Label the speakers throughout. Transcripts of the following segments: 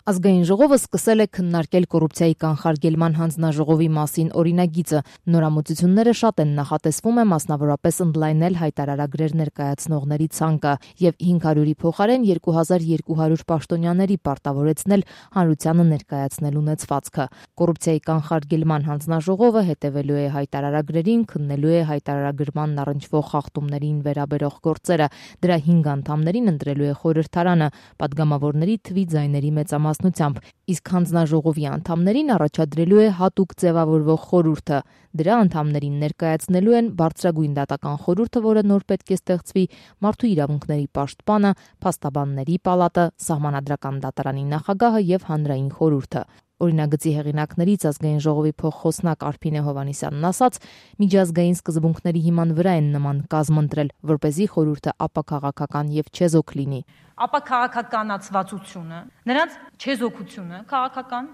Speaker 1: Ազգային ժողովը սկսել է քննարկել կոռուպցիայի կանխարգելման հանձնաժողովի մասին օրինագիծը։ Նորամուծությունները շատ են, նախատեսվում է մասնավորապես ընդլայնել հայտարարագրեր ներկայացնողների ցանկը եւ 500-ի փոխարեն 2200 պաշտոնյաների պարտավորեցնել հանրությանը ներկայացնել ունեցվածքը։ Կոռուպցիայի կանխարգելման հանձնաժողովը հետևելու է հայտարարագրերին, քննելու է հայտարարագրման առնչվող խախտումներին վերաբերող գործերը։ Դրա 5 անդամներին ընտրելու է խորհրդարանը, падգամավորների թվի ձայների մեծամասնությամբ, իսկ հանձնաժողովի անդամներին առաջադրելու է հատուկ ձևավորվող խորհուրդը։ Դրա անդամներին ներկայացնելու են բարձրագույն դատական խորհուրդը, որը նոր պետք է ստեղծվի, մարդու իրավունքների պաշտպանը, փաստաբանների պալատը, սահմանադրական դատարանի նախագահը եւ հանրային խորհուրդը։ Օրինագծի հեղինակներից Ազգային ժողովի փոխխոսնակ Արփինե Հովհաննիսյանն ասաց, միջազգային սկզբունքների հիման վրա են նման կազմ ընտրել, որպեսզի խորհուրդը ապաքաղաքական եւ չեզոք լինի։
Speaker 2: Ապաքաղաքականացվածությունը, նրանց չեզոքությունը քաղաքական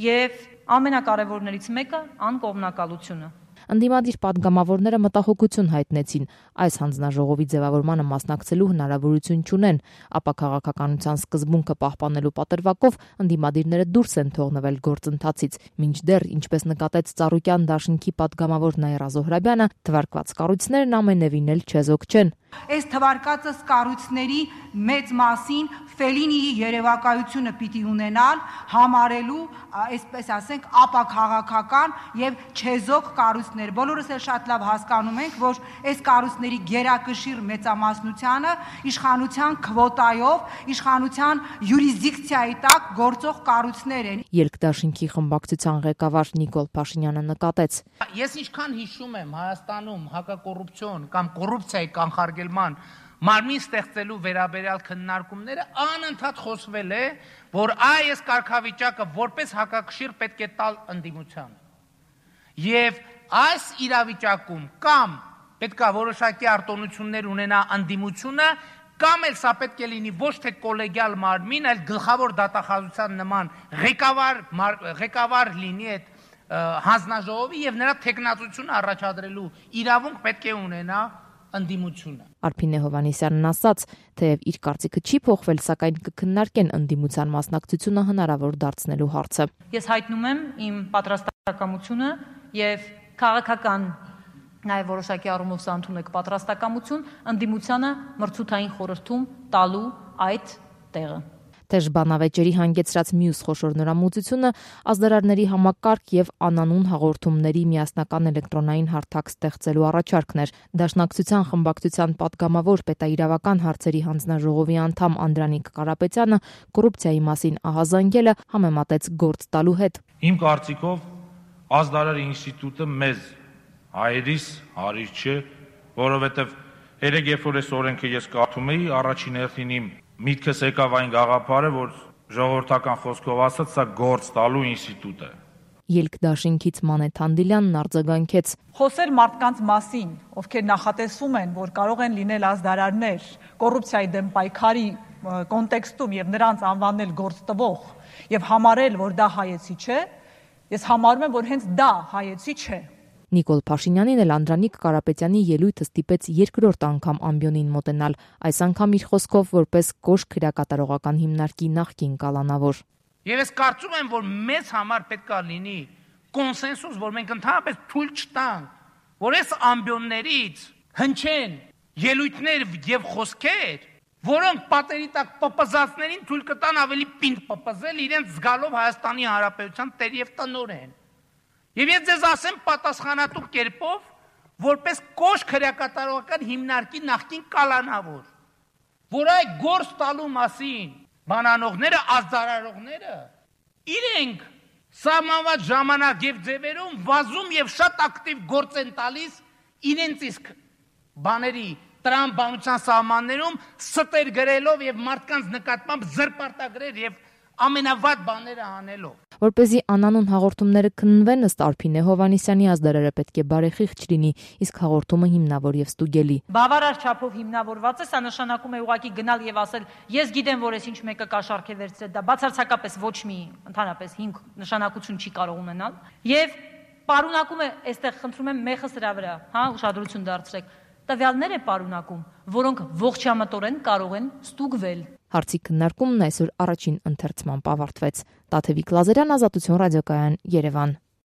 Speaker 2: եւ ամենակարևորներից մեկը անկողմնակալությունը։
Speaker 1: Ընդդիմադիր падգամավորները մտահոգություն հայտնեցին, այս հանձնաժողովի ձևավորմանը մասնակցելու հնարավորություն չունեն, ապաքաղաքականության սկզբունքը պահպանելու պատրվակով ընդդիմադիրները դուրս են թողնվել գործընթացից, մինչդեռ, ինչպես նկատեց Ծառուկյան դաշինքի падգամավոր Նաիրա Զոհրաբյանը, թվարկված կառույցներն ամենևին էլ չեզոք չեն։
Speaker 3: Այս թվարկածս կառույցների մեծ մասին Ֆելինիի երևակայությունը պիտի ունենալ համարելու, այսպես ասենք, ապաքաղաքական եւ չեզոք կառույցներ։ Բոլորս էլ շատ լավ հասկանում ենք, որ այս կառույցների գերակշիռ մեծամասնությանը իշխանության քվոտայով, իշխանության յուրիսդիկցիայի տակ գործող կառույցներ են։
Speaker 1: Երկդաշինքի խմբակցության ղեկավար Նիկոլ Փաշինյանը նկատեց.
Speaker 4: Ես ինչքան հիշում եմ Հայաստանում հակակոռուպցիոն կամ կոռուպցիայի կանխարգելման մարմին ստեղծելու վերաբերյալ քննարկումները անընդհատ խոսվել է, որ այս կարգավիճակը որպես հակակշիռ պետք է տալ ընդդիմությանը։ Եվ այս իրավիճակում կամ պետքա որոշակի արտոնություններ ունենա ընդդիմությունը, կամ էլ սա պետք է լինի ոչ թե կոլեգիալ մարմին, այլ գլխավոր դատախազության նման ղեկավար լինի այդ հանձնաժողովի եւ նրա թեկնածությունը առաջադրելու իրավունք պետք է ունենա ընդդիմությունը։
Speaker 1: Արփինե Հովհաննիսյանն ասաց, թեև իր կարծիքը չի փոխվել, սակայն կքննարկեն ընդդիմության մասնակցությունը հնարավոր դարձնելու հարցը։
Speaker 2: Ես հայտնում եմ իմ պատրաստակամությունը եւ քաղաքական նաեւ որոշակի առումով սա ընդունեք պատրաստակամություն ընդդիմությանը մրցութային խորհրդում տալու այդ տեղը։
Speaker 1: Թեժ բանավեճերի հանգեցրած մյուս խոշոր նորամուծությունը ազդարարների համակարգ եւ անանուն հաղորդումների միասնական էլեկտրոնային հարթակ ստեղծելու առաջարկն էր։ Դաշնակցության խմբակցության падգամավոր պետաիրավական հարցերի հանձնաժողովի անդամ Անդրանիկ Կարապետյանը կոռուպցիայի մասին ահազանգելը համեմատեց գործ տալու հետ։
Speaker 5: Իմ կարծիքով ազդարար ինստիտուտը մեզ հայերիս հարիր չէ, որովհետեւ երեք երբ որ այս օրենքը ես կարդում էի, առաջին հերթին իմ միտքս եկավ այն գաղափարը, որ ժողովրդական խոսքով ասած, սա գործ տալու ինստիտուտ է։
Speaker 1: Ելք-դաշինքից Մանեթ Անդիլյանն արձագանքեց.
Speaker 6: Խոսել մարդկանց մասին, ովքեր նախատեսում են, որ կարող են լինել ազդարարներ կոռուպցիայի դեմ պայքարի կոնտեքստում եւ նրանց անվանել գործ տվող եւ համարել, որ դա հայեցի չէ, ես համարում եմ, որ հենց դա հայեցի չէ։
Speaker 1: Նիկոլ Փաշինյանին էլ Անդրանիկ Կարապետյանի ելույթը ստիպեց երկրորդ անգամ ամբիոնին մոտենալ, այս անգամ իր խոսքով որպես կոշտ քրեակատարողական հիմնարկի նախկին կալանավոր։
Speaker 4: Եվ ես կարծում եմ, որ մեզ համար պետք է լինի կոնսենսուս, որ մենք ընդհանրապես թույլ չտանք, որ այս ամբիոններից հնչեն ելույթներ եւ խոսքեր, որոնք պատերի տակ պպզածներին թույլ կտան ավելի պինդ պպզել իրենց զգալով Հայաստանի Հանրապետության տեր եւ տնօրեն։ Եվ ես ձեզ ասեմ պատասխանատու կերպով, որպես կոշտ քրեակատարողական հիմնարկի նախկին կալանավոր, որ այդ գործ տալու մասին բանանողները, ազդարարողները իրենք սահմանված ժամանակ եւ ձևերում վազում եւ շատ ակտիվ գործ են տալիս իրենց իսկ բաների տրամաբանության սահմաններում ստեր գրելով եւ մարդկանց նկատմամբ զրպարտագրեր եւ ամենավատ բաները անելով։
Speaker 1: Որպեսզի անանուն հաղորդումները քննվեն, ըստ Արփինե Հովհաննիսյանի ազդարարը պետք է բարեխիղճ լինի, իսկ հաղորդումը հիմնավոր եւ ստուգելի։
Speaker 2: Բավարար չափով հիմնավորված է, սա նշանակում է ուղղակի գնալ եւ ասել, ես գիտեմ, որ ես ինչ մեկը կաշառք է վերցրել, դա բացարձակապես ոչ մի ընդհանրապես հիմք նշանակություն չի կարող ունենալ։ Եվ պարունակում է, այստեղ խնդրում եմ մեխը սրա վրա, ուշադրություն դարձրեք, տվյալներ է պարունակում, որոնք ողջամտորեն կարող են ստուգվել։
Speaker 1: Հարցի քննարկումն այսօր առաջին ընթերցմամբ ավարտվեց։ Տաթևիկ Լազարյան, Ազատություն ռադիոկայան, Երևան։